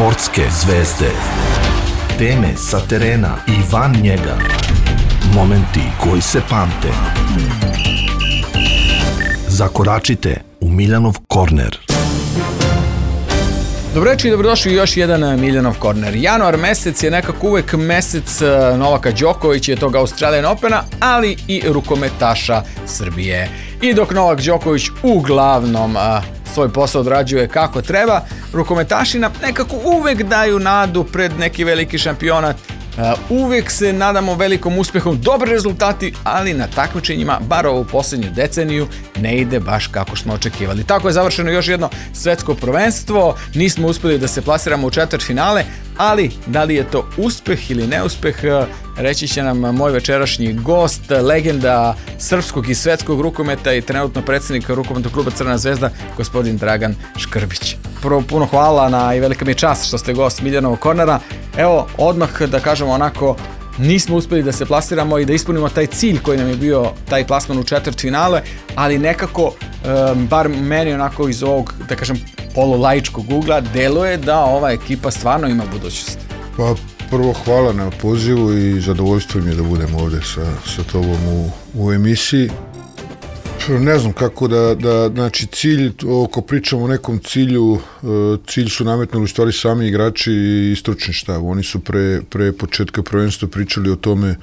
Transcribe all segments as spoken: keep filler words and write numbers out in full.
Sportske zvezde. Teme sa terena i van njega. Momenti koji se pamte. Zakoračite u Miljanov korner. Dobro večer i dobrodošli u još jedan Miljanov korner. Januar mesec je nekako uvek mesec Novaka Đokovića, tog Australian Opena, ali i rukometaša Srbije. I dok Novak Đoković uglavnom a, svoj posao odrađuje kako treba, rukometaši nam nekako uvek daju nadu pred neki veliki šampionat. Uh, uvijek se nadamo velikom uspehom, dobri rezultati, ali na takmičenjima, bar ovu posljednju deceniju, ne ide baš kako smo očekivali. Tako je završeno još jedno svetsko prvenstvo, nismo uspjeli da se plasiramo u četvrtfinale, ali da li je to uspeh ili neuspeh, reći će nam moj večerašnji gost, legenda srpskog i svetskog rukometa i trenutno predsjednik rukometnog kluba Crvena zvezda, gospodin Dragan Škrbić. Prvo, puno hvala na i velika mi je čast što ste gost Miljanovog kornera. Evo, odmah da kažemo onako, nismo uspjeli da se plasiramo i da ispunimo taj cilj koji nam je bio taj plasman u četvrtfinale, ali nekako, um, bar meni onako iz ovog, da kažem, polulaičkog ugla, deluje da ova ekipa stvarno ima budućnost. Pa prvo hvala na pozivu i zadovoljstvo mi je da budem ovdje sa, sa tobom u, u emisiji. Ne znam kako da, da, znači cilj, ako pričamo o nekom cilju, cilj su nametnuli u stvari sami igrači i stručni štab. Oni su pre, pre početka prvenstva pričali o tome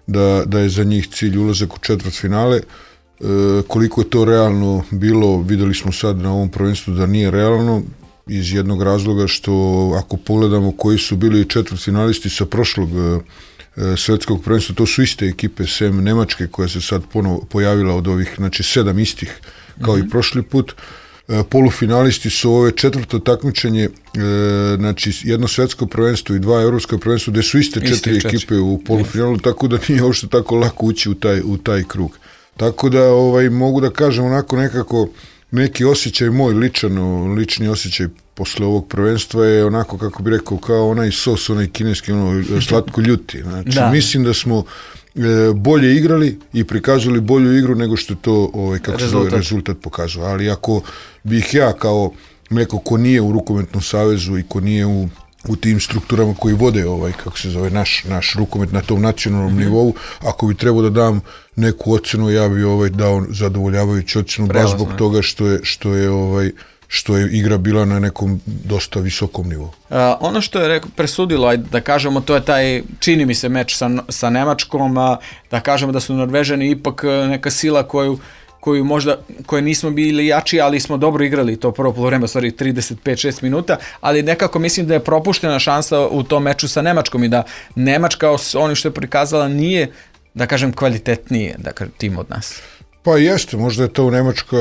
da, da je za njih cilj ulazak u četvrtfinale. E, koliko je to realno bilo, videli smo sad na ovom prvenstvu da nije realno, iz jednog razloga što ako pogledamo koji su bili četvrtfinalisti sa prošlog svetskog prvenstva, to su iste ekipe sem Nemačke koja se sad ponovo pojavila od ovih, znači sedam istih kao mm-hmm. i prošli put. E, polufinalisti su ove četvrto takmičenje, e, znači jedno svetsko prvenstvo i dva evropska prvenstva gde su iste četiri Isti ekipe četiri. u polufinalu, yes. tako da nije uopšte tako lako ući u taj, u taj krug. Tako da ovaj, mogu da kažem onako nekako neki osjećaj moj ličan, lični osjećaj posle ovog prvenstva je onako, kako bi rekao, kao onaj sos, onaj kineski, ono, slatko ljuti. Znači, da. Mislim da smo e, bolje igrali i prikazali bolju igru nego što to, ovaj, kako rezultat. se zove, rezultat pokazuje. Ali ako bih ja kao neko ko nije u rukometnom savezu i ko nije u u tim strukturama koji vode ovaj, kako se zove, naš, naš rukomet na tom nacionalnom mm-hmm. nivou, ako bi trebao da dam neku ocenu, ja bi ovaj dao zadovoljavajuću ocenu baš zbog toga što je, što je ovaj što je igra bila na nekom dosta visokom nivou. Uh, ono što je reko, presudilo, ajde da kažemo, to je taj, čini mi se, meč sa, sa Nemačkom, a, da kažemo da su Norvežani ipak neka sila koju koju možda, koje nismo bili jači, ali smo dobro igrali to prvo poluvreme, stvari trideset pet šest minuta, ali nekako mislim da je propuštena šansa u tom meču sa Nemačkom i da Nemačka, ono što je prikazala, nije, da kažem, kvalitetnije da kažem, tim od nas. Pa jeste, možda je to u Nemačka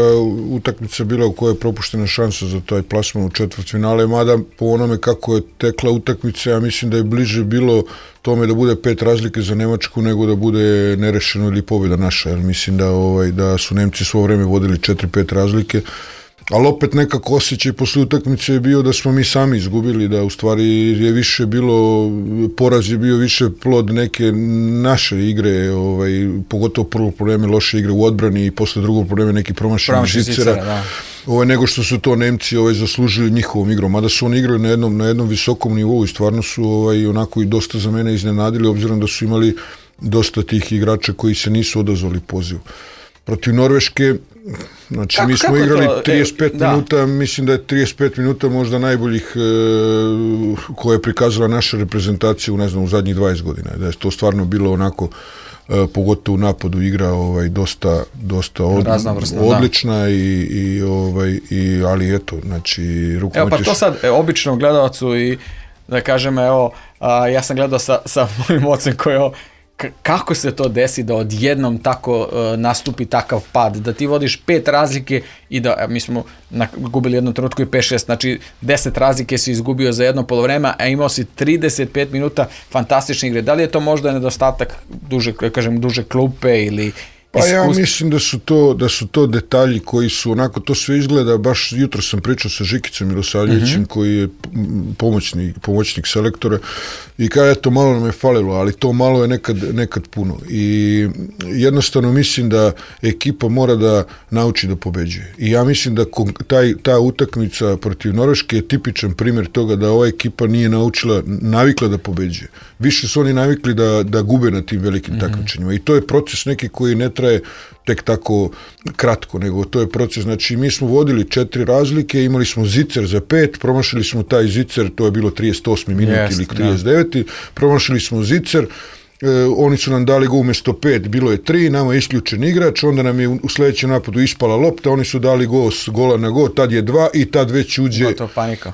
utakmica bila u kojoj je propuštena šansa za taj plasman u četvrtfinale, mada po onome kako je tekla utakmica, ja mislim da je bliže bilo tome da bude pet razlike za Nemačku nego da bude nerešeno ili pobjeda naša, jer mislim da, ovaj, da su Nemci svo vreme vodili četiri pet razlike, ali opet nekako osjećaj posle utakmice je bio da smo mi sami izgubili, da u stvari je više bilo, poraz je bio više plod neke naše igre, ovaj, pogotovo prvo probleme loše igre u odbrani i posle drugog probleme neki promašeni žicera, ovaj, nego što su to Nemci ovaj, zaslužili njihovom igrom, mada su oni igrali na jednom, na jednom visokom nivou i stvarno su ovaj, onako i dosta za mene iznenadili, obzirom da su imali dosta tih igrača koji se nisu odazvali pozivu. Protiv Norveške, znači kako, mi smo igrali to? trideset pet e, minuta, da. Mislim da je trideset pet minuta možda najboljih e, koje je prikazala naša reprezentacija u, ne znam, u zadnjih dvadeset godina. Da je to stvarno bilo onako, e, pogotovo u napadu igra ovaj, dosta, dosta od, odlična da. i, i, ovaj, i, ali eto, znači rukomet. Evo pa to sad e, običnom gledalcu i da kažem, evo, a, ja sam gledao sa, sa mojim ocem koji je kako se to desi da odjednom tako uh, nastupi takav pad, da ti vodiš pet razlike i da, mi smo na, gubili jednu trenutku i pet šest, znači deset razlike si izgubio za jedno polovreme, a imao si trideset pet minuta fantastične igre. Da li je to možda nedostatak duže, kažem, duže klupe ili Pa ja mislim da su to da su to detalji koji su onako, to sve izgleda, baš jutro sam pričao sa Žikicom Milosavljevićem, uh-huh. koji je pomoćnik, pomoćnik selektora i kaže, eto, malo nam je falilo, ali to malo je nekad, nekad puno i jednostavno mislim da ekipa mora da nauči da pobeđuje i ja mislim da taj, ta utakmica protiv Norveške je tipičan primjer toga da ova ekipa nije naučila, navikla da pobeđuje. Više su oni navikli da, da gube na tim velikim uh-huh. takmičenjima i to je proces neki koji ne traje tek tako kratko, nego to je proces, znači mi smo vodili četiri razlike, imali smo zicer za pet, promašili smo taj zicer, to je bilo trideset osmi minut yes, ili trideset deveti promašili smo zicer, e, oni su nam dali go umjesto pet, bilo je tri, nama je isključen igrač, onda nam je u sljedećem napadu ispala lopta, oni su dali go s gola na go, tad je dva i tad već uđe,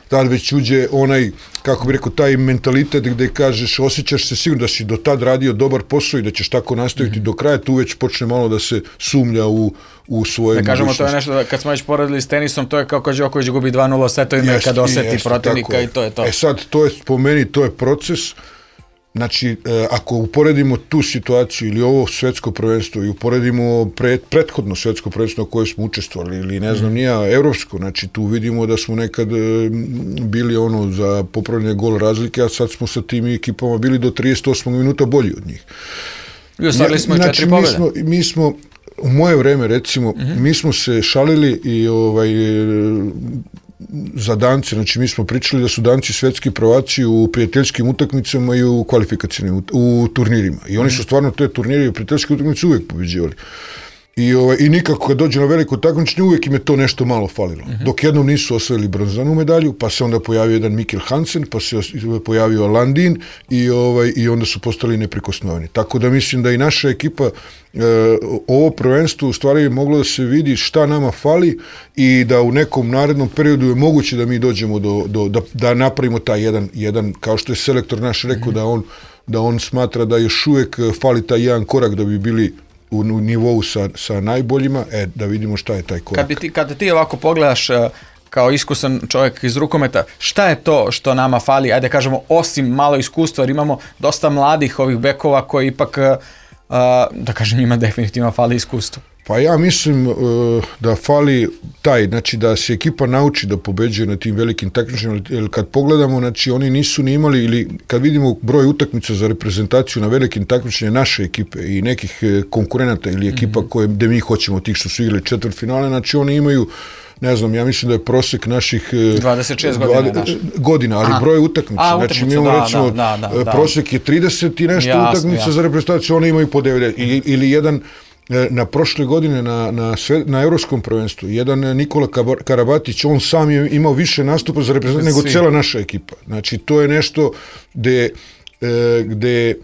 tad već uđe onaj, kako bi rekao, taj mentalitet gde kažeš, osjećaš se sigurno da si do tad radio dobar posao i da ćeš tako nastaviti mm-hmm. do kraja, tu već počne malo da se sumnja u, u svoje da kažemo, to je nešto, da, kad smo već poredili s tenisom, to je kao kad Đoković gubi dva nula setovima kad oseti jest, protivnika i to je to. E sad, to je, po meni, to je proces. Znači, e, ako uporedimo tu situaciju ili ovo svetsko prvenstvo i uporedimo pred, prethodno svetsko prvenstvo na koje smo učestvovali ili ne znam, mm. nija evropsko, znači tu vidimo da smo nekad e, bili ono za popravljanje gol razlike, a sad smo sa tim ekipama bili do trideset osmog minuta bolji od njih. I ostvarili smo i znači, četiri pobjede. Mi smo, mi smo, u moje vreme recimo, mm-hmm. mi smo se šalili i ovaj... za Dance, znači mi smo pričali da su Danci svetski prvaci u prijateljskim utakmicama i u kvalifikacijnim, u turnirima. I oni su stvarno te turnire i prijateljske utakmice uvijek pobeđivali. I, ovaj, i nikako kad dođe na veliko takmičenje uvijek im je to nešto malo falilo. Uh-huh. Dok jednom nisu osvojili bronzanu medalju, pa se onda pojavio jedan Mikkel Hansen, pa se pojavio Landin i, ovaj, i onda su postali neprikosnoveni. Tako da mislim da i naša ekipa e, ovo prvenstvo u stvari je moglo da se vidi šta nama fali i da u nekom narednom periodu je moguće da mi dođemo do, do, da, da napravimo taj jedan, jedan, kao što je selektor naš rekao, uh-huh. da, on, da on smatra da još uvijek fali taj jedan korak da bi bili u, u nivou sa, sa najboljima, e, da vidimo šta je taj korak. Kad, bi ti, kad ti ovako pogledaš kao iskusan čovjek iz rukometa, šta je to što nama fali, ajde kažemo, osim malo iskustva, jer imamo dosta mladih ovih bekova koji ipak, da kažem, njima definitivno fali iskustvo. Pa ja mislim uh, da fali taj, znači da se ekipa nauči da pobeđuje na tim velikim takmičenjima, jer kad pogledamo, znači oni nisu ni imali, ili kad vidimo broj utakmica za reprezentaciju na velikim takmičenjima naše ekipe i nekih konkurenata ili ekipa mm-hmm. koje, gde mi hoćemo, tih što su igrali četvrtfinale, znači oni imaju, ne znam, ja mislim da je prosjek naših dvadeset šest godina, dvadeset, godina ali Aha. broj utakmica. A, znači mi imamo da, recimo, da, da, da, prosjek je trideset i nešto jasno, utakmica jasno. Za reprezentaciju, oni imaju po devedeset. Ili, ili jedan na prošle godine na, na, sve, na evropskom prvenstvu, jedan Nikola Karabatić, on sam je imao više nastupa za reprezentaciju nego cijela naša ekipa. Znači to je nešto gde, gde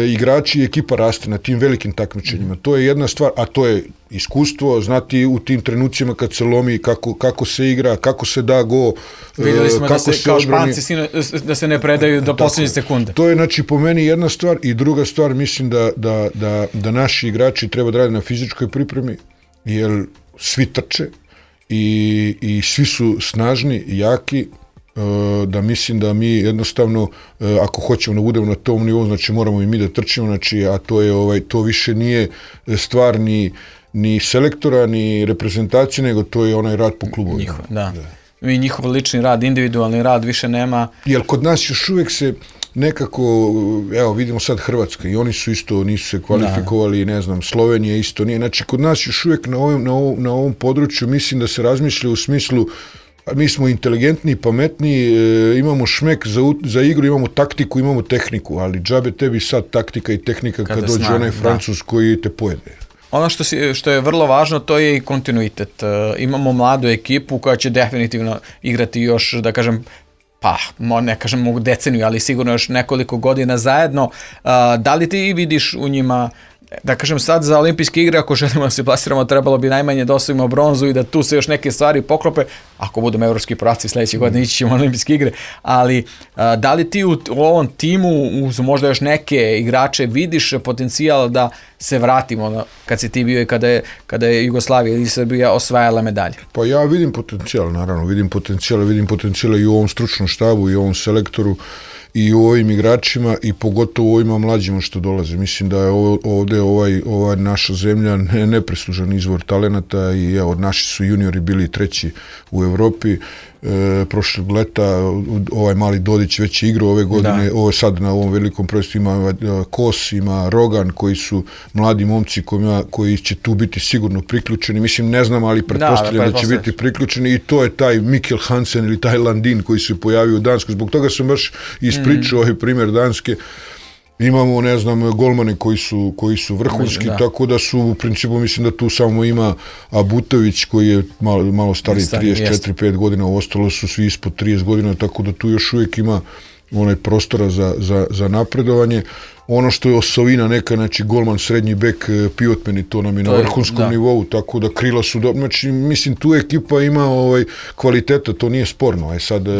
igrači i ekipa raste na tim velikim takmičenjima. To je jedna stvar, a to je iskustvo, znati u tim trenucima kad se lomi, kako, kako se igra, kako se da go, vidjeli smo kako da se, se kao odbrani. Španci da se ne predaju do posljednje sekunde. To je, znači, po meni jedna stvar i druga stvar, mislim da, da, da, da naši igrači treba da rade na fizičkoj pripremi, jer svi trče i, i svi su snažni, jaki, da mislim da mi jednostavno ako hoćemo da budemo na tom nivou, znači moramo i mi da trčimo, znači, a to je ovaj to više nije stvar ni, ni selektora, ni reprezentacije, nego to je onaj rad po klubu. Njihov, da. da. I njihov lični rad, individualni rad više nema. Jer kod nas još uvijek se nekako, evo vidimo sad Hrvatska i oni su isto, nisu se kvalifikovali, da. Ne znam, Slovenija isto nije, znači kod nas još uvijek na ovom, na ovom, na ovom području mislim da se razmišlja u smislu mi smo inteligentni, pametni, e, imamo šmek za, za igru, imamo taktiku, imamo tehniku, ali džabe tebi sad taktika i tehnika kad Kada dođe zna, onaj Francuz da. Koji te pojede. Ono što, si, što je vrlo važno, to je i kontinuitet. E, imamo mladu ekipu koja će definitivno igrati još, da kažem, pa ne kažem mogu deceniju, ali sigurno još nekoliko godina zajedno. E, da li ti vidiš u njima, da kažem sad za olimpijske igre, ako želimo da se plasiramo, trebalo bi najmanje da osvojimo bronzu i da tu se još neke stvari poklope, ako budemo evropski prvaci sljedeće godine ići ćemo na olimpijske igre, ali a, da li ti u, u ovom timu uz možda još neke igrače vidiš potencijal da se vratimo na, kad si ti bio i kada je, kada je Jugoslavija ili Srbija osvajala medalje? Pa ja vidim potencijal, naravno, vidim potencijal, vidim potencijal i u ovom stručnom štabu i u ovom selektoru i u ovim igračima i pogotovo u ovima mlađima što dolaze. Mislim da je ovde ovaj, ova naša zemlja ne, nepreslužan izvor talenata i evo, naši su juniori bili treći u Evropi. E, prošlog leta ovaj mali Dodić već je igrao ove godine, ovo sad na ovom velikom prvenstvu ima Kos, ima Rogan koji su mladi momci koji, koji će tu biti sigurno priključeni, mislim ne znam, ali pretpostavljam da, da će biti priključeni i to je taj Mikkel Hansen ili taj Landin koji se pojavio u Danskoj, zbog toga sam baš ispričao mm. ovaj primjer Danske. Imamo, ne znam, golmane koji su, koji su vrhunski, da. Tako da su, u principu, mislim da tu samo ima Abutović koji je malo, malo stariji, trideset četiri pet godina, ostalo su svi ispod trideset godina, tako da tu još uvijek ima onaj prostora za, za, za napredovanje. Ono što je osovina neka, znači golman, srednji bek, pivotmeni, to nam je to na vrhunskom je, nivou, tako da krila su dobro. Znači, mislim, tu ekipa ima ovaj, kvaliteta, to nije sporno. E sad, e,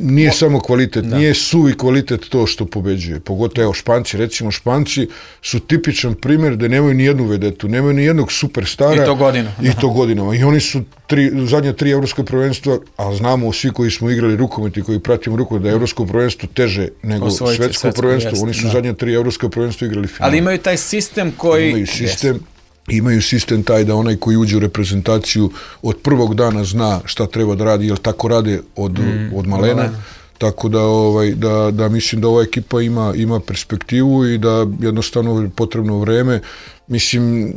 nije o, samo kvalitet, da. Nije suvi kvalitet to što pobeđuje. Pogotovo, evo, Španci, recimo, Španci su tipičan primjer da nemaju ni jednu vedetu, nemaju ni jednog superstara. I to godinama. I to godinama. I oni su tri, zadnja tri evropska prvenstva, a znamo svi koji smo igrali rukomet i koji pratimo rukomet da je evropsko prvenstvo teže nego Osvojite, svetsko, svetsko prvenstvo. Jest. Oni su da. zadnja tri evropska prvenstva igrali final. Ali imaju taj sistem koji... Imaju sistem, imaju sistem taj da onaj koji uđe u reprezentaciju od prvog dana zna šta treba da radi, jer tako rade od, mm, od malena. malena. Tako da, ovaj, da, da mislim da ova ekipa ima, ima perspektivu i da jednostavno je potrebno vreme. Mislim,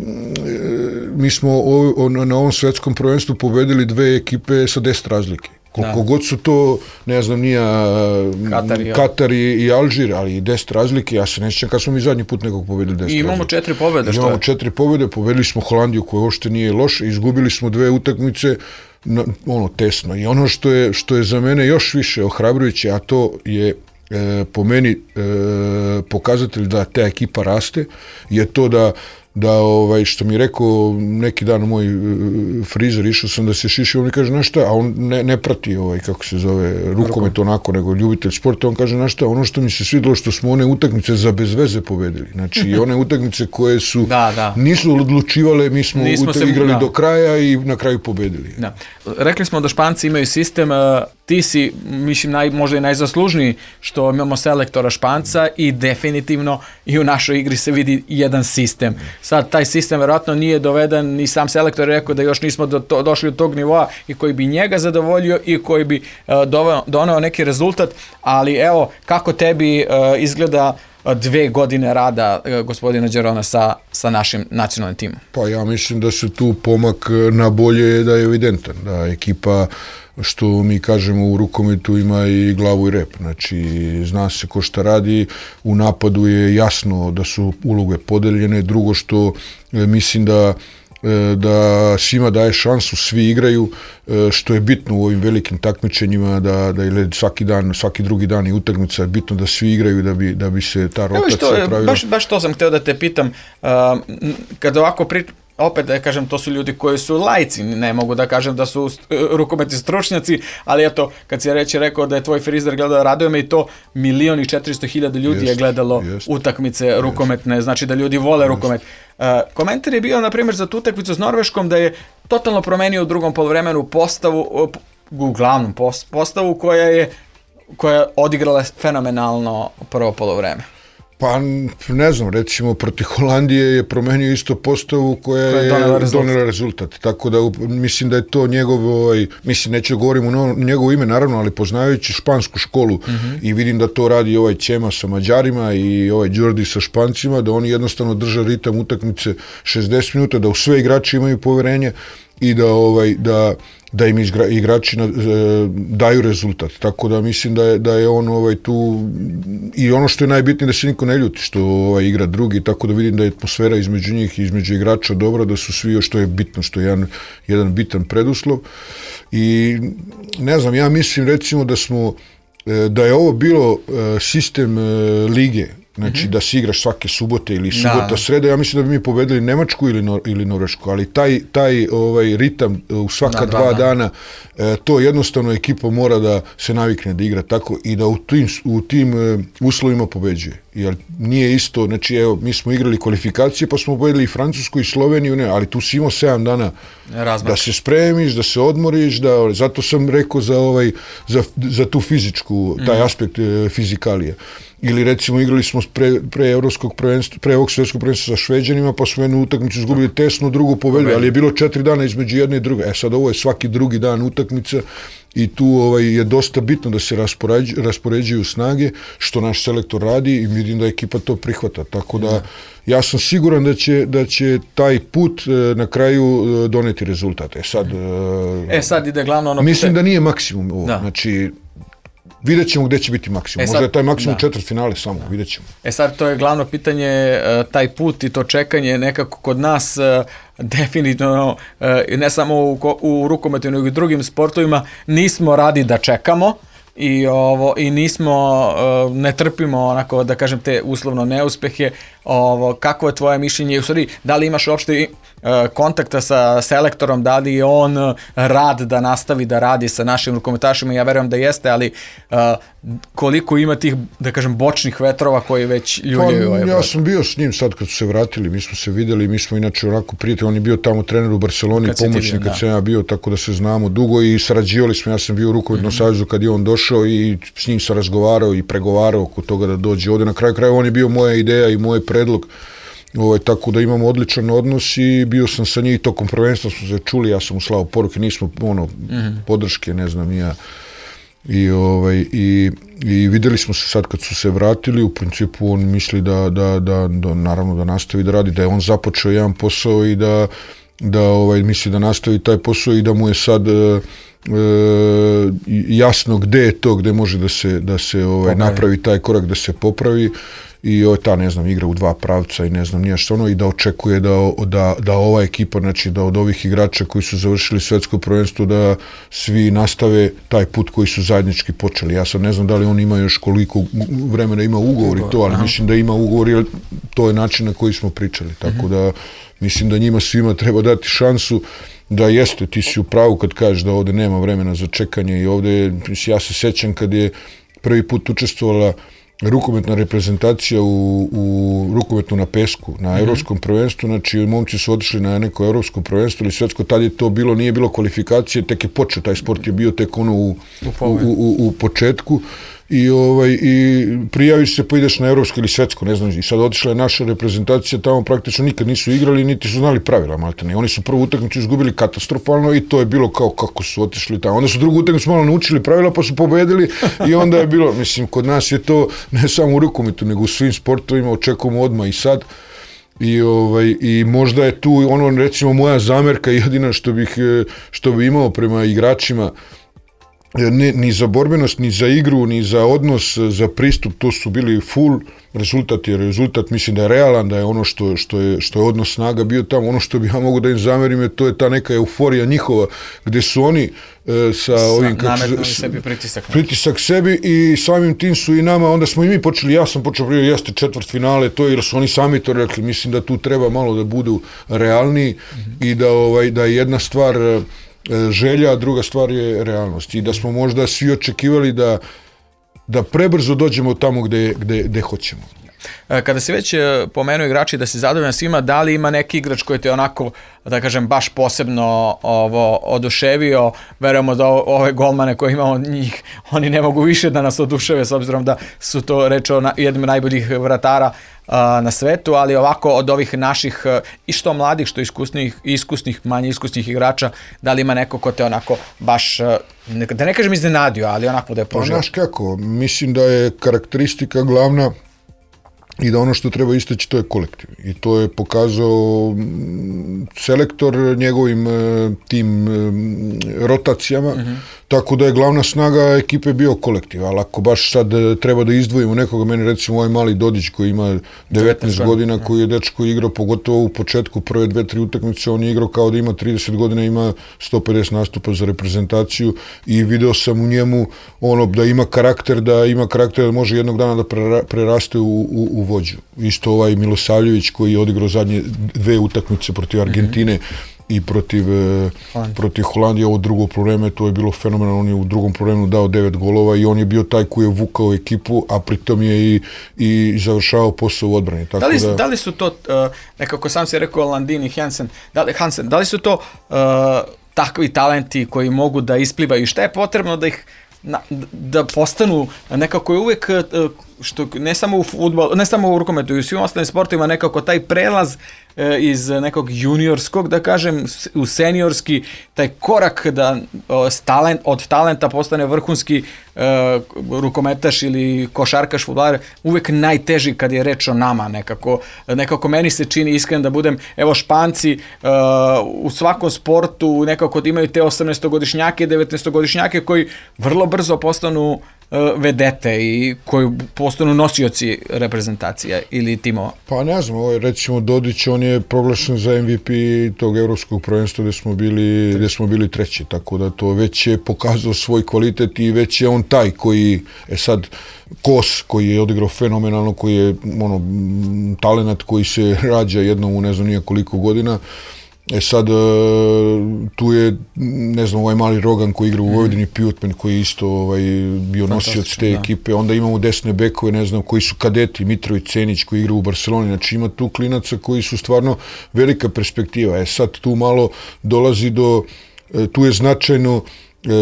mi smo o, na ovom svetskom prvenstvu pobedili dve ekipe sa deset razlike. Koliko god su to, ne znam, nije Katar, Katar i, i Alžir, ali i deset razlike, ja se ne sjećam kad smo mi zadnji put nekog pobedili deset razlike. I imamo četiri pobjede, što je? Imamo četiri pobjede, pobedili smo Holandiju koja uopšte nije loša, izgubili smo dve utakmice, na, ono, tesno. I ono što je, što je za mene još više ohrabrujuće, a to je e, po meni e, pokazatelj da ta ekipa raste, je to da da ovaj što mi je rekao neki dan moj uh, frizer, išao sam da se šiši, on mi kaže, znaš šta, a on ne, ne prati ovaj, kako se zove, rukomet onako, nego ljubitelj sporta, on kaže, znaš šta, ono što mi se svidjelo što smo one utakmice za bez veze pobedili, znači one utakmice koje su da, da. nisu odlučivale, mi smo se, igrali da. do kraja i na kraju pobedili. Da. Rekli smo da Španci imaju sistem, ti si, mislim, naj, možda i najzaslužniji što imamo selektora Španca i definitivno i u našoj igri se vidi jedan sistem. Sad, taj sistem verovatno nije doveden, ni sam selektor je rekao da još nismo do to, došli do tog nivoa i koji bi njega zadovoljio i koji bi uh, doveo, doneo neki rezultat, ali evo, kako tebi uh, izgleda dve godine rada uh, gospodina Đerona sa, sa našim nacionalnim timom? Pa ja mislim da se tu pomak na bolje da je evidentan, da ekipa, što mi kažemo u rukometu, ima i glavu i rep, znači zna se ko šta radi, u napadu je jasno da su uloge podeljene, drugo što e, mislim da da svima daje šansu, svi igraju, što je bitno u ovim velikim takmičenjima, da, da svaki dan, svaki drugi dan i utakmica je bitno da svi igraju da bi, da bi se ta rotacija što, pravila. Baš, baš to sam hteo da te pitam, uh, kada ovako pri, opet da kažem, to su ljudi koji su lajci, ne mogu da kažem da su rukometni stručnjaci, ali eto, kad si reći rekao da je tvoj frizer gledao, raduje me i to, milion i četiristo hiljada ljudi jest, je gledalo jest, utakmice jest, rukometne, znači da ljudi vole jest. rukomet. Uh, komentar je bio, na primjer, za tu utakmicu s Norveškom da je totalno promenio u drugom poluvremenu postavu, uglavnom postavu koja je, koja je odigrala fenomenalno prvo poluvreme. Pa ne znam, recimo protiv Holandije je promenio isto postavu koja, koja je donela rezultat. donela rezultat. Tako da mislim da je to njegov, ovaj, mislim neću govorim u njegovo ime naravno, ali poznavajući špansku školu mm-hmm. i vidim da to radi ovaj Ćema sa Mađarima i ovaj Đordi sa Špancima, da oni jednostavno drže ritam utakmice šezdeset minuta, da u sve igrači imaju poverenje i da ovaj da da im igra, igrači na, e, daju rezultat. Tako da mislim da je, da je on ovaj, tu i ono što je najbitnije da se niko ne ljuti što ovaj, igra drugi, tako da vidim da je atmosfera između njih i između igrača dobra, da su svi, što je bitno, što je jedan, jedan bitan preduslov. I ne znam, ja mislim recimo da smo da je ovo bilo sistem lige, znači mm-hmm. da se igraš svake subote ili subota, da. sreda, ja mislim da bi mi pobedili Nemačku ili, Nor- ili Norvešku, ali taj, taj ovaj, ritam u svaka da, dva da, da. dana, e, to jednostavno ekipa mora da se navikne da igra tako i da u tim, u tim e, uslovima pobeđuje. jer nije isto, znači evo, mi smo igrali kvalifikacije pa smo pobedili i Francusku i Sloveniju, ne, ali tu si imao sedam dana Razmak. Da se spremiš, da se odmoriš, da, zato sam rekao za, ovaj, za, za tu fizičku, taj mm. aspekt e, fizikalije. Ili recimo igrali smo pre, pre evropskog prvenstva, pre ovog svjetskog prvenstva sa Šveđanima, pa smo jednu utakmicu izgubili tesno, drugu pobedili, ali je bilo četiri dana između jedne i druge. E sad ovo je svaki drugi dan utakmica i tu ovaj, je dosta bitno da se raspoređuju, raspoređuju snage, što naš selektor radi i vidim da ekipa to prihvata. Tako da ja sam siguran da će, da će taj put na kraju doneti rezultate. E sad, e sad ide glavno ono... Mislim da nije maksimum ovo. Da. Znači, vidjet ćemo gdje će biti maksimum. E sad, možda je taj maksimum da. četvrt finale samo, da. vidjet ćemo. E sad, to je glavno pitanje, taj put i to čekanje nekako kod nas definitivno, ne samo u, u rukometu, nego i drugim sportovima, nismo radi da čekamo i ovo i nismo ne trpimo onako da kažem te uslovno neuspehe. Ovo kakvo je tvoje mišljenje, u stvari da li imaš uopšte kontakta sa selektorom, da li je on rad da nastavi da radi sa našim rukometašima? Ja verujem da jeste, ali uh, koliko ima tih, da kažem, bočnih vetrova koji već ljuljaju pa, ovaj ja sam bio s njim sad kad su se vratili, mi smo se videli, mi smo inače onako prijatelji, on je bio tamo trener u Barceloni, kad pomoćnik kad sam ja bio, tako da se znamo dugo i sarađivali smo, ja sam bio u rukometnom mm-hmm. savezu kad je on došao i s njim sam razgovarao i pregovarao oko toga da dođe ovde. Na kraju krajeva on je bio moja ideja i moj predlog, ovaj, tako da imamo odličan odnos i bio sam sa njih tokom prvenstva, smo se čuli, ja sam mu slao poruke, nismo ono, mm-hmm. podrške, ne znam, ja. I, ovaj, i, i videli smo se sad kad su se vratili, u principu on misli da, da, da, da naravno da nastavi da radi, da je on započeo jedan posao i da, da ovaj, misli da nastavi taj posao i da mu je sad e, e, jasno gde je to, gde može da se, da se ovaj, napravi taj korak, da se popravi. I ovo ta, ne znam, igra u dva pravca i ne znam nije što ono i da očekuje da, da, da ova ekipa, znači da od ovih igrača koji su završili svetsko prvenstvo da svi nastave taj put koji su zajednički počeli. Ja sad ne znam da li on ima još koliko vremena ima ugovor i to, ali aha. mislim da ima ugovor jer to je način na koji smo pričali. Tako da mislim da njima svima treba dati šansu da jeste, ti si u pravu kad kažeš da ovde nema vremena za čekanje i ovde, ja se sećam kad je prvi put učestvovala rukometna reprezentacija u, u rukometu na pesku, na mm-hmm. evropskom prvenstvu, znači momci su otišli na neko evropsko prvenstvo ili svetsko, tad je to bilo, nije bilo kvalifikacije, tek je počeo, taj sport je bio tek ono u, u, u, u, u početku i, ovaj, i prijaviš se pa ideš na evropsko ili svetsko, ne znam, i sad otišla je naša reprezentacija, tamo praktično nikad nisu igrali, niti su znali pravila, maltene. Oni su prvu utakmicu izgubili katastrofalno i to je bilo kao kako su otišli tamo. Onda su drugu utakmicu malo naučili pravila pa su pobedili i onda je bilo, mislim, kod nas je to ne samo u rukometu, nego u svim sportovima, očekujemo odmah i sad. I, ovaj, i možda je tu ono, recimo, moja zamerka jedina što bih, što bi imao prema igračima, Ne, ni za borbenost, ni za igru, ni za odnos, za pristup, to su bili full. Rezultat je rezultat, mislim da je realan, da je ono što, što, je, što je odnos snaga bio tamo. Ono što bi ja mogu da im zamerim je to je ta neka euforija njihova, gde su oni e, sa, sa ovim... Nametnuli sebi pritisak. Pritisak sebi i samim tim su i nama, onda smo i mi počeli, ja sam počeo prije, jeste četvrt finale, to je, jer su oni sami to rekli, mislim da tu treba malo da budu realniji mm-hmm. i da, ovaj, da je jedna stvar želja, a druga stvar je realnost. I da smo možda svi očekivali da, da prebrzo dođemo tamo gde, gde, gde hoćemo. Kada se već pomenuo igrači da se zadovoljan svima, da li ima neki igrač koji te onako, da kažem, baš posebno ovo, oduševio? Verujemo da ove golmane koje imamo njih, oni ne mogu više da nas oduševe s obzirom da su to rečeo na, jednim najboljih vratara a, na svetu, ali ovako od ovih naših i što mladih, što iskusnih, iskusnih, manje iskusnih igrača, da li ima neko ko te onako baš, da ne kažem iznenadio, ali onako da je poželio? Pa znaš kako, mislim da je karakteristika glavna i da ono što treba istaći to je kolektiv. I to je pokazao selektor njegovim tim rotacijama, mm-hmm. tako da je glavna snaga ekipe bio kolektiv. Ali ako baš sad treba da izdvojimo nekoga, meni recimo ovaj mali Dodić koji ima devetnaest godina, koji je dečko igrao, pogotovo u početku prve dve, tri utakmice, on je igrao kao da ima trideset godina, ima sto pedeset nastupa za reprezentaciju i video sam u njemu ono da ima karakter, da ima karakter da može jednog dana da preraste u, u, u vođu. Isto ovaj Milosavljević koji je odigrao zadnje dve utakmice protiv Argentine, mm-hmm. i protiv, Holandije. protiv Holandije, ovo drugo probleme, to je bilo fenomenalno, on je u drugom problemu dao devet golova i on je bio taj koji je vukao ekipu, a pritom je i, i završavao posao u odbrani. Tako da, li, da, da li su to, uh, nekako sam si rekao Landin i Hansen, da li, Hansen, da li su to uh, takvi talenti koji mogu da isplivaju i šta je potrebno da ih Na, da postanu nekako je uvek što ne samo u fudbalu, ne samo u rukometu i u svim ostalim sportovima nekako taj prelaz e, iz nekog juniorskog da kažem u seniorski taj korak da o, talent, od talenta postane vrhunski e, rukometaš ili košarkaš fudbaler uvek najteži kad je reč o nama nekako nekako meni se čini iskreno da budem evo Španci e, u svakom sportu nekako imaju te osamnaestogodišnjake, devetnaestogodišnjake koji vrlo brzo postanu vedete i koji postanu nosioci reprezentacija ili timova? Pa ne znam, ovaj, recimo Dodić, on je proglašen za M V P tog evropskog prvenstva gde smo bili, gde smo bili treći, tako da to već je pokazao svoj kvalitet i već je on taj koji, e sad, Kos koji je odigrao fenomenalno, koji je ono, talenat koji se rađa jednom u ne znam nije koliko godina. E sad, tu je, ne znam, ovaj mali Rogan koji igra u Vojvodini, Pijutmen koji je isto ovaj, bio nosioc te da. ekipe, onda imamo desne bekove, ne znam, koji su kadeti, Mitrović Cenić koji igra u Barceloni, znači ima tu klinaca koji su stvarno velika perspektiva. E sad tu malo dolazi do, tu je značajno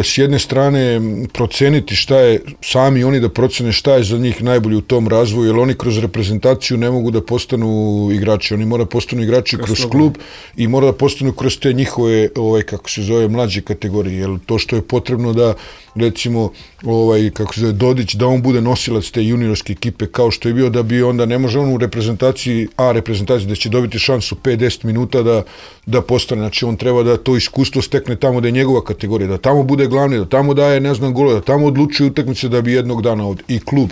s jedne strane proceniti šta je, sami oni da procene šta je za njih najbolje u tom razvoju, jer oni kroz reprezentaciju ne mogu da postanu igrači, oni mora da postanu igrači kroz, kroz klub i mora da postanu kroz te njihove, ovaj, kako se zove, mlađe kategorije, jer to što je potrebno da recimo, ovaj, kako se zove, Dodić, da on bude nosilac te juniorske ekipe kao što je bio, da bi onda, ne može on u reprezentaciji, a reprezentaciji da će dobiti šansu pet do deset minuta da, da postane, znači on treba da to iskustvo stekne tamo da je njegova kategorija, da tamo bude glavni, da tamo daje, ne znam, golove, da tamo odlučuje utakmice da bi jednog dana ovdje i klub,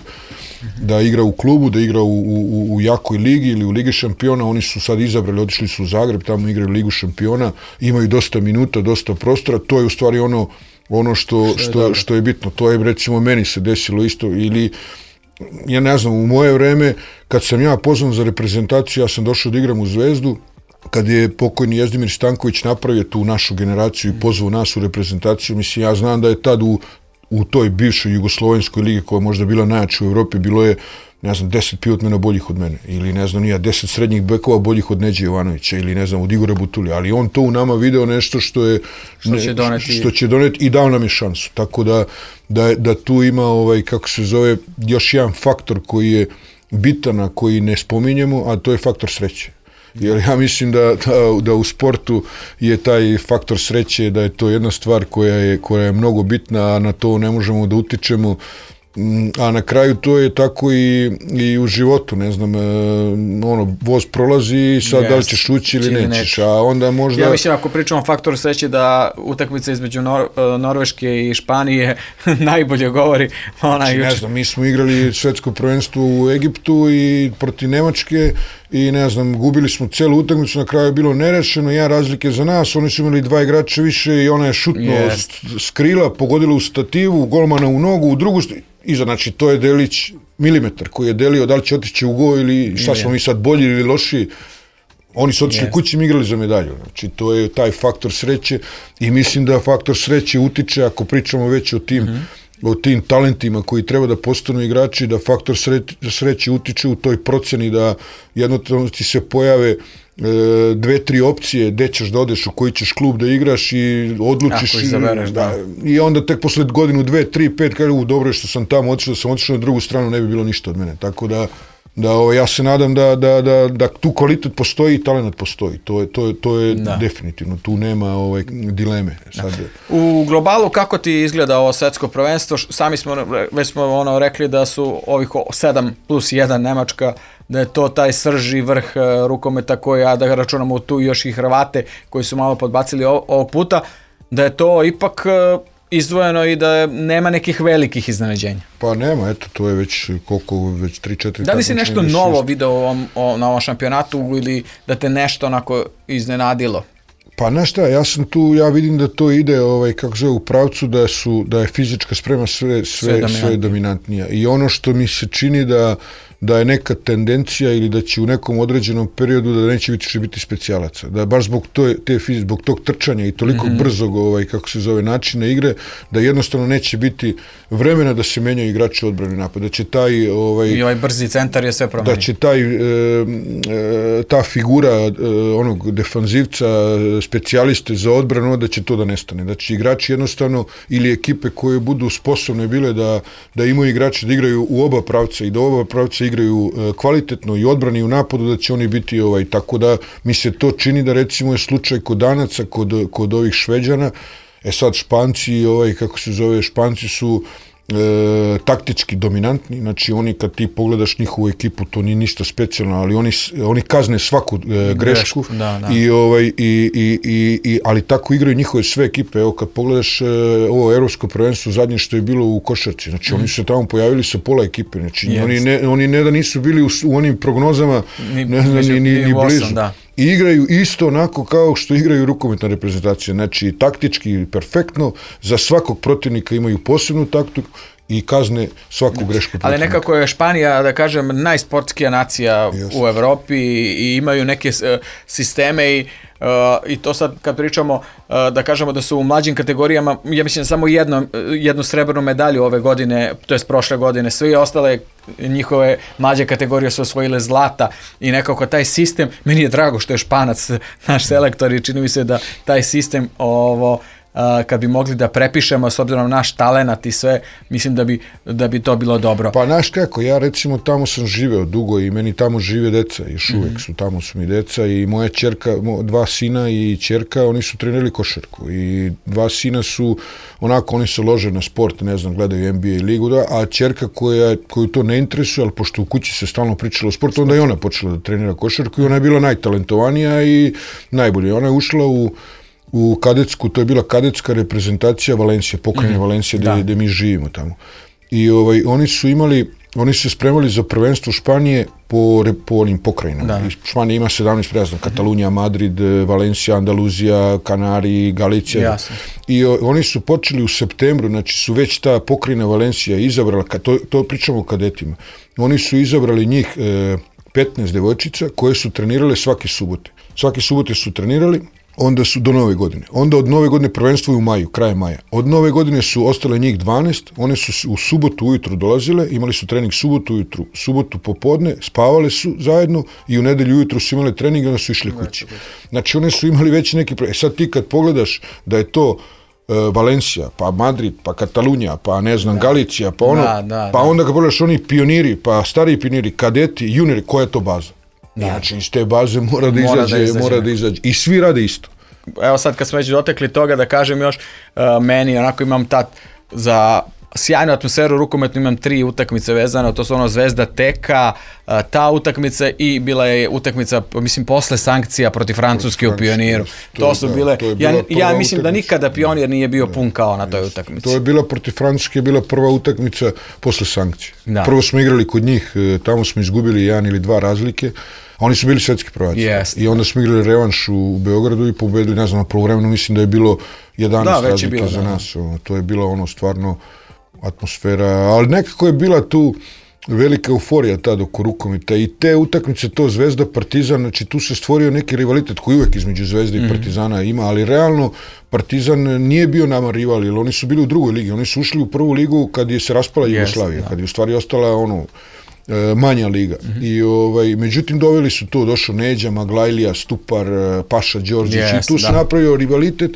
da igra u klubu, da igra u, u, u jakoj ligi ili u Ligi šampiona, oni su sad izabrali, otišli su u Zagreb, tamo igraju Ligu šampiona, imaju dosta minuta, dosta prostora, to je u stvari ono ono što, što, što, što je bitno. To je recimo meni se desilo isto ili ja ne znam, u moje vreme kad sam ja pozvan za reprezentaciju, ja sam došao da igram u Zvezdu, kad je pokojni Jezdimir Stanković napravio tu našu generaciju i pozvao nas u reprezentaciju, mislim ja znam da je tad u, u toj bivšoj jugoslovenskoj ligi koja je možda bila najjača u Evropi, bilo je ne znam, deset pivotmena boljih od mene, ili ne znam, nija, deset srednjih bekova boljih od Neđe Jovanovića, ili ne znam, od Igora Butulija, ali on to u nama video nešto što je, što ne, će doneti, što će doneti i dao nam je šansu, tako da, da, da tu ima, ovaj, kako se zove, još jedan faktor koji je bitan, a koji ne spominjemo, a to je faktor sreće. Jer ja mislim da, da, da u sportu je taj faktor sreće, da je to jedna stvar koja je, koja je mnogo bitna, a na to ne možemo da utičemo, a na kraju to je tako i, i u životu, ne znam, ono, voz prolazi i sad yes, da li ćeš ući ili nećeš, neći. A onda možda... Ja mislim, ako pričamo o faktoru sreće, da utakmica između Nor Norveške i Španije najbolje govori. Ona znači, ne znam, mi smo igrali svetsko prvenstvo u Egiptu i protiv Nemačke i ne znam, gubili smo celu utakmicu, na kraju je bilo nerešeno, jedan razlike za nas, oni su imali dva igrača više i ona je šutno yes. s krila, pogodila u stativu, golmana u nogu, u drugu iza, znači to je delić milimetar koji je delio da li će otići u go ili šta smo mi sad bolji ili loši. Oni su otišli yes. kući i mi igrali za medalju. Znači to je taj faktor sreće i mislim da faktor sreće utiče, ako pričamo već o tim, mm-hmm. o tim talentima koji treba da postanu igrači, da faktor sreće utiče u toj proceni da jednostavno ti se pojave dve, tri opcije gde ćeš da odeš, u koji ćeš klub da igraš i odlučiš i, izabereš, da. Da, i onda tek posle godinu, dve, tri, pet kaže, u dobro je što sam tamo otišao, da sam otišao na drugu stranu, ne bi bilo ništa od mene, tako da da o, ja se nadam da, da, da, da tu kvalitet postoji i talent postoji, to je, to je, to je definitivno, tu nema ovaj, dileme. Sad. U globalu kako ti izgleda ovo svetsko prvenstvo, sami smo, već smo ono rekli da su ovih sedam plus jedan Nemačka, da je to taj srž i vrh rukometa koji, ja da računamo tu još i Hrvate koji su malo podbacili ovog puta, da je to ipak izdvojeno i da nema nekih velikih iznenađenja. Pa nema, eto, to je već koliko, već tri četiri... Da li si nešto novo video o, o, na ovom šampionatu ili da te nešto onako iznenadilo? Pa znaš šta, ja sam tu, ja vidim da to ide ovaj, kako zove, u pravcu da, su, da je fizička sprema sve, sve, sve, sve dominantnija. I ono što mi se čini da, da je neka tendencija ili da će u nekom određenom periodu da neće biti što biti specijalaca. Da baš zbog, to, te, zbog tog trčanja i toliko mm-hmm. brzog, ovaj, kako se zove, načina igre, da jednostavno neće biti vremena da se menjaju igrači odbrane napad. Da će taj... Ovaj, I ovaj brzi centar je sve promenio. Da će taj, e, e, ta figura e, onog defanzivca, specijaliste za odbranu, da će to da nestane. Da će igrači jednostavno ili ekipe koje budu sposobne bile da, da imaju igrači da igraju u oba pravca i da oba pravca igraju kvalitetno i odbrani i u napadu, da će oni biti ovaj, tako da mi se to čini da recimo je slučaj kod Danaca, kod, kod ovih Šveđana. E sad Španci, ovaj, kako se zove, Španci su E, taktički dominantni, znači oni kad ti pogledaš njihovu ekipu, to nije ništa specijalno, ali oni, oni kazne svaku e, grešku, da, da. I, ovaj, i, i, i, i, ali tako igraju njihove sve ekipe. Evo kad pogledaš e, ovo evropsko prvenstvo zadnje što je bilo u košarci, znači mm. oni su se tamo pojavili sa pola ekipe, znači yes. oni, ne, oni ne da nisu bili u, u onim prognozama ni, ne znam, ni, ni, ni, ni blizu. Da. I igraju isto onako kao što igraju rukometna reprezentacija, znači taktički perfektno, za svakog protivnika imaju posebnu taktiku i kazne svaku grešku protivnika. Ali nekako je Španija, da kažem, najsportskija nacija yes. u Evropi i imaju neke uh, sisteme i Uh, i to sad kad pričamo uh, da kažemo da su u mlađim kategorijama, ja mislim samo jedno, jednu srebrnu medalju ove godine, to jest prošle godine, sve ostale njihove mlađe kategorije su osvojile zlata i nekako taj sistem, meni je drago što je Španac naš selektor i čini mi se da taj sistem ovo Uh, kad bi mogli da prepišemo s obzirom na naš talenat i sve, mislim da bi, da bi to bilo dobro. Pa znaš kako, ja recimo tamo sam živeo dugo i meni tamo žive deca, još uvek mm-hmm. su, tamo su mi deca i moja ćerka, dva sina i ćerka, oni su trenirali košarku i dva sina su, onako oni se lože na sport, ne znam, gledaju N B A ligu, da, a ćerka koja, koju to ne interesuje, ali pošto u kući se stalno pričalo o sportu, onda je ona počela da trenira košarku i ona je bila najtalentovanija i najbolje. Ona je ušla u u kadetsku, to je bila kadetska reprezentacija Valencije, pokrajine mm, Valencije gde, gde mi živimo tamo. I ovaj, oni su imali, oni su se spremali za prvenstvo Španije po, po onim pokrajinama. Da. Španija ima sedamnaest prejazna, Katalunija, Madrid, Valencija, Andaluzija, Kanari, Galicija. Jasno. I o, oni su počeli u septembru, znači su već ta pokrajina Valencija izabrala, to, to pričamo o kadetima, oni su izabrali njih e, petnaest devojčica koje su trenirale svake subote. Svake subote su trenirali, onda su do nove godine. Onda od nove godine prvenstvo u maju, kraje maja. Od nove godine su ostale njih dvanaest, one su u subotu ujutru dolazile, imali su trening subotu ujutru, subotu popodne, spavale su zajedno i u nedelju ujutru su imali trening i onda su išli kući. Znači one su imali već neki... E sad ti kad pogledaš da je to uh, Valencija, pa Madrid, pa Katalunija, pa ne znam, da. Galicija, pa ono, da, da, pa onda kad pogledaš oni pioniri, pa stariji pioniri, kadeti, juniori, koja je to baza? Da. Znači, iz te baze mora da, mora izađe, da izađe, mora da izađe. I svi rade isto. Evo sad kad smo već dotekli toga, da kažem još, uh, meni onako imam tat za sjajnu atmosferu rukometnu, imam tri utakmice vezano, to su ono Zvezda Teka, uh, ta utakmica i bila je utakmica, mislim, posle sankcija protiv Francuske u Pioniru. To, to su bile, to ja, ja mislim da nikada Pionir nije bio pun kao na toj jest. utakmici. To je bila protiv Francuske, je bila prva utakmica posle sankcija. Da. Prvo smo igrali kod njih, tamo smo izgubili jedan ili dva razlike, a oni su bili svetski prvaci. Yes. I onda smo igrali revanš u Beogradu i pobedili, ne znam, na prvovremenu mislim da je bilo jedanaest da, razlike bilo, za da. nas. Ono, to je bilo ono stvarno atmosfera, ali nekako je bila tu velika euforija tad oko rukometa i te utakmice, to Zvezda Partizan, znači tu se stvorio neki rivalitet koji uvek između Zvezde mm. i Partizana ima, ali realno Partizan nije bio nama rival, jer oni su bili u drugoj ligi, oni su ušli u prvu ligu kad je se raspala Jugoslavija, yes, da. kad je u stvari ostala ono manja liga. Mm-hmm. I ovaj međutim doveli su to, došao Neđa, Maglajlija, Stupar, Paša Đorđić yes, i tu se napravio rivalitet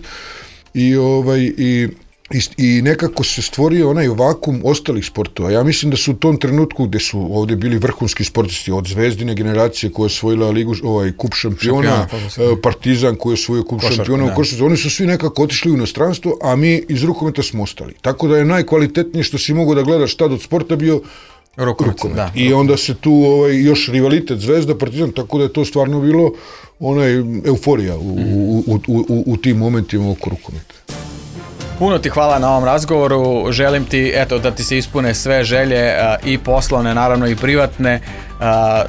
i ovaj i I, i nekako se stvorio onaj vakum ostalih sportova. Ja mislim da su u tom trenutku gde su ovde bili vrhunski sportisti od Zvezdine generacije koja je osvojila ligu, ovaj, kup šampiona, Šampion, Partizan koji je osvojio kup šampiona u košarci. Oni su svi nekako otišli u inostranstvo, a mi iz rukometa smo ostali. Tako da je najkvalitetnije što si mogao da gledaš tad od sporta bio rukomet. Da, I onda se tu ovaj, još rivalitet Zvezda, Partizan, tako da je to stvarno bilo onaj euforija u, mm. u, u, u, u tim momentima oko rukometa. Puno ti hvala na ovom razgovoru, želim ti eto da ti se ispune sve želje i poslovne, naravno i privatne,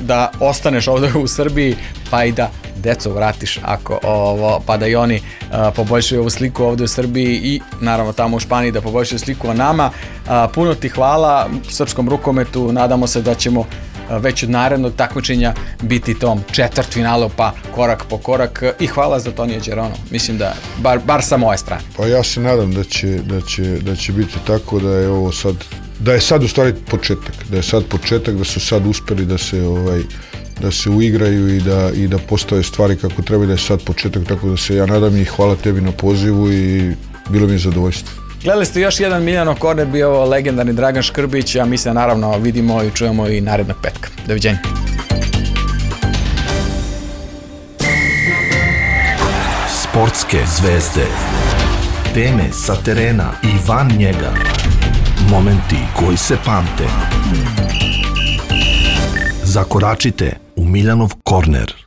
da ostaneš ovdje u Srbiji, pa i da deco vratiš ako ovo, pa da i oni poboljšaju ovu sliku ovdje u Srbiji i naravno tamo u Španiji da poboljšaju sliku o nama. Puno ti hvala srpskom rukometu, nadamo se da ćemo već od narednog takmičenja biti tom četvrtfinalu, pa korak po korak, i hvala za Tonija Đeronu, mislim da bar, bar sa moje strane. Pa ja se nadam da će, da će, da će biti tako, da je ovo sad, da je sad u stvari početak, da je sad početak, da su sad uspeli da se ovaj da se uigraju i da, i da postave stvari kako treba, da je sad početak, tako da se ja nadam i hvala tebi na pozivu i bilo mi je zadovoljstvo. Gledali ste još jedan Miljanov korner, bio ovo legendarni Dragan Škrbić, a mi se naravno vidimo i čujemo i narednog petka. Doviđenja. Sportske zvezde, teme sa terena i van njega, momenti koji se pamte. Zakoračite u Miljanov korner.